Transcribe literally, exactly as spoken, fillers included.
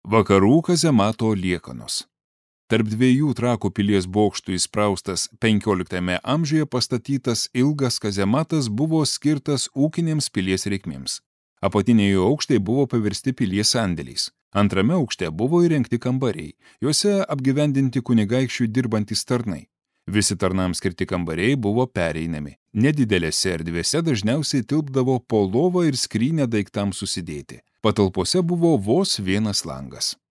Vakarų kazemato liekanos. Tarp dviejų Trakų pilies bokštų įspraustas penkioliktame amžiuje pastatytas ilgas kazematas buvo skirtas ūkinėms pilies reikmėms. Apatiniai aukštai buvo paversti pilies sandėliais. Antrame aukšte buvo įrengti kambariai, juose apgyvendinti kunigaikščių dirbantys tarnai. Visi tarnams skirti kambariai buvo pereinami. Nedidelėse erdvėse dažniausiai tilpdavo po lovą ir skrynę daiktams susidėti. Patalpose buvo vos vienas langas.